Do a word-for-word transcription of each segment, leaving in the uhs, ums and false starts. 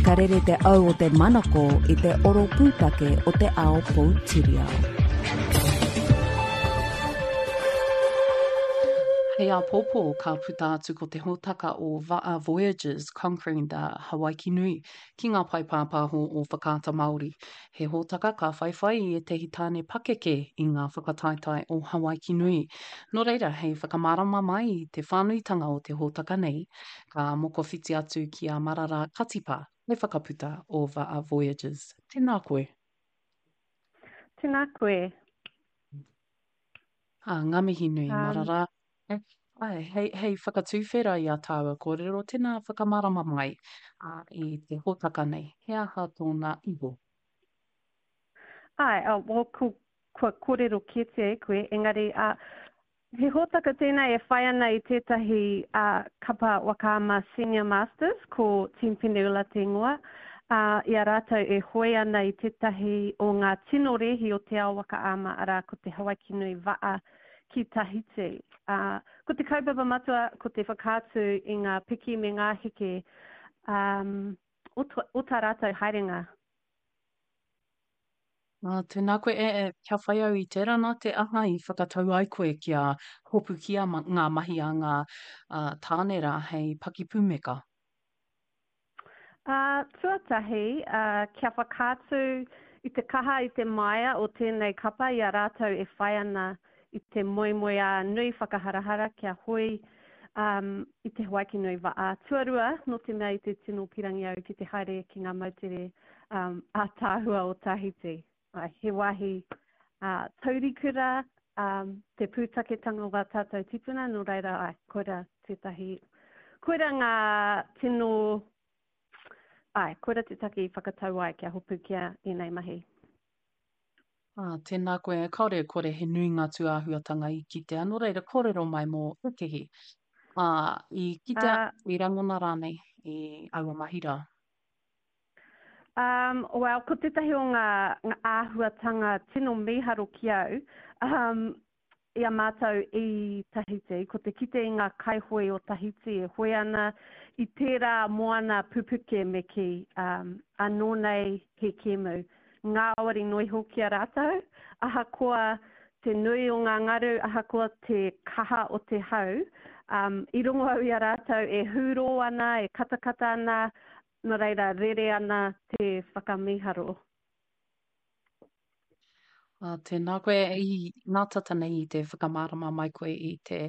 Ka rere te au o te manako i te oro pūtake o te ao poutiriao. Hei āpōpō ka puta atu ko te hōtaka o Va'a Voyages Conquering the Hawaiki Nui ki ngā pae pāpāho o Whakaata Māori. He hōtaka ka whaiwhai i ētahi tāne pakeke i ngā whakataetae o Hawaiki Nui. Nō reira, hei whakamārama mai i te whānuitanga o te hōtaka nei, ka mokowhiti atu ki a Marara Katipa, te whakaputa o Va'a Voyages. Tēnā koe. Tēnā koe. Ā, ngā mihi nui, Um, Marara. Āe, hei, hei whakatuwhera i a tāua kōrero, tēnā whakamārama mai ā, i te hōtaka nei. He aha tōna iho? Āe, oh, well, ko, kua kōrero kētia e koe, engari uh, he hōtaka tēnei e whai ana i tētahi uh, kapa waka ama Senior Masters, ko Team Peneula te ingoa, uh, i a rātou e hoe ana i tētahi o ngā tino rēhi o te ao waka ama, arā ko te Hawaiki Nui Va'a ki Tahiti. Uh, ko te kaupapa matua, ko te whakaatu i ngā piki me ngā heke um, o, o tā rātou haerenga. Ā, tēnā koe, e, e, kia whai au i tērā, nā te aha i whakatau ai koe kia hopukia ma, ngā mahi a ngā ā, tāne rā hei pakipūmeka? Ā, tuatahi, ā, kia whakaatu i te kaha, i te māia o tēnei kapa i a rātou e whai ana i te moemoeā nui whakaharahara kia hoe um, i te Hawaiki Nui Va'a. Tuarua, nō te mea i te tino pirangi au ki te haere ki ngā moutere um, ātaahua o Tahiti. Ai, he wāhi uh, taurikura, um, te pūtaketanga o ngā tātou tipuna, nō reira, ai, koira tētahi, koira ngā tino, ai, koira te take i whakatau ai kia hopukia ēnei mahi. Ā, tēnā koe, kāore e kore he nui ngā tūāhuatanga i kitea, nō reira kōrero mai mō ētehi, ā, i kitea, Uh, i rangona rānei i aua mahi rā. Um, well, ko tētahi o ngā, ngā āhuatanga tino mīharo ki au, um, i a mātou i Tahiti, ko te kite i ngā kaihoe o Tahiti e hoe ana i tērā moana pupuke me kī, um, anō nei he kēmu. Ngāwari noa iho ki a rātou, ahakoa te nui o ngā ngaru, ahakoa te kaha o te hau, um, i rongo au i a rātou e hūrō ana, e katakata ana, nō reira rere ana te whakamīharo. Ā, tēnā koe, i nā tata nei i te whakamārama mai koe i te,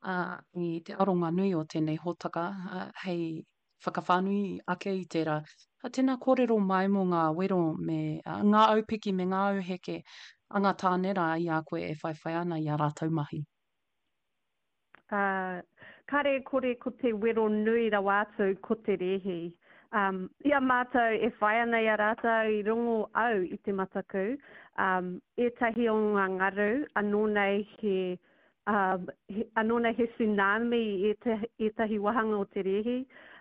ā, i te aronga nui o tēnei hōtaka, ā, hei whakawhānui ake i tērā. Ā, tēnā kōrero mai mō ngā wero me, ā, ngā aupiki me ngā auheke a ngā tāne rā i a koe e whaiwhai ana i ā rātou mahi. Ā, kāre e kore ko te wero nui rawa atu ko te rēhi. Um, i a mātou e whai ana i a rātou i rongo au i te mataku, um, ētahi o ngā ngaru anō nei he, um, he, anō nei he tsunami i ētahi, ētahi wāhanga o te rēhi.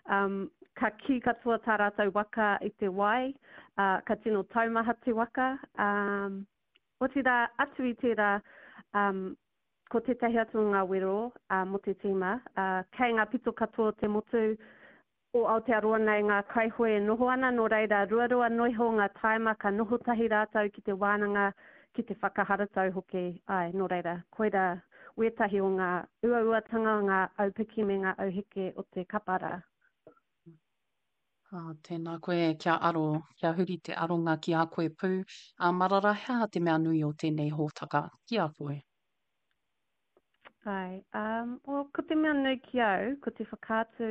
Um, ka kī katoa tā rātou waka i te wai, uh, ka tino taumaha te waka. Um, otirā, atu i tērā, um, Ko tētahi atu o ngā wero mō te tīma, kei ngā pito katoa o te motu o Aotearoa nei ngā kaihoe e noho ana, nō reira ruarua noa iho ngā tāima ka noho tahi rātou ki te wānanga, ki te whakaharatau hoki, āe, nō reira, koirā wētahi o ngā uauatanga, ngā aupiki me ngā auheke o te kapa rā. Ā, tēnā koe, kia aro, kia huri te aronga ki a koe pū. Ā, Marara, he aha te mea nui o tēnei hōtaka ki a koe? Āe, um, well, ko te mea nui ki au, ko te whakaatu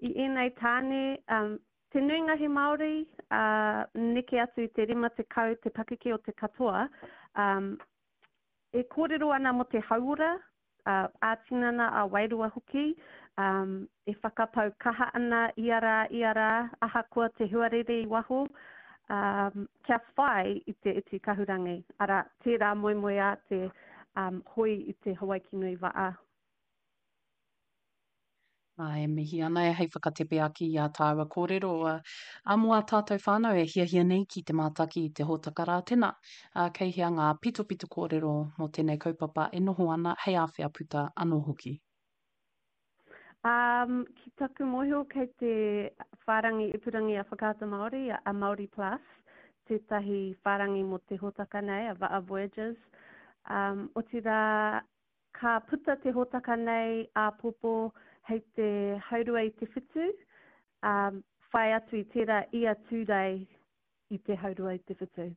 i ēnei tāne, um, te nuinga he Māori, uh, neke atu i te rima tekau te pakeke o te katoa, um, e kōrero ana mō te hauora, uh, ā-tinana, ā-wairua hoki, um, e whakapau kaha ana ia rā, ia rā, ahakoa te huarere i waho, um, kia whai i te iti kahurangi, arā, tērā moemoeā te um, hoe i te Hawaiki Nui Va'a. Ā, e mihi ana e hei whakatepe ake i ā tāua kōrero, ā, ā, mō ā tātou whānau e hiahia nei ki te mātaki i te hōtaka rā, tēnā, ā, kei hea ngā pitopito kōrero mō tēnei kaupapa e noho ana hei āwhea puta anō hoki. Um, ki taku mōhio kei te whārangi ipurangi a Whakaata Māori, a Māori Plus, tētahi whārangi mō te hōtaka nei, a Va'a Voyages. Um, otirā, ka puta te hōtaka nei āpōpō hei te haurua i te whitu, um, whai atu i tērā ia Tūrei i te haurua i te whitu.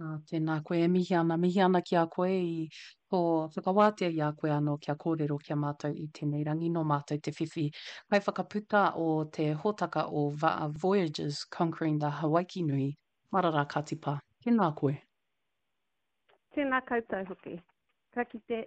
Ā, tēnā koe e mihi ana, mihi ana ki a koe i tō whakawātea i a koe anō kia kōrero ki a mātou i tēnei rangi nō mātou te whiwhi kaiwhakaputa o te hōtaka o Va'a Voyages Conquering the Hawaiki Nui, Marara Katipa. Tēnā koe. Tēnā koutou hoki. Ka kite.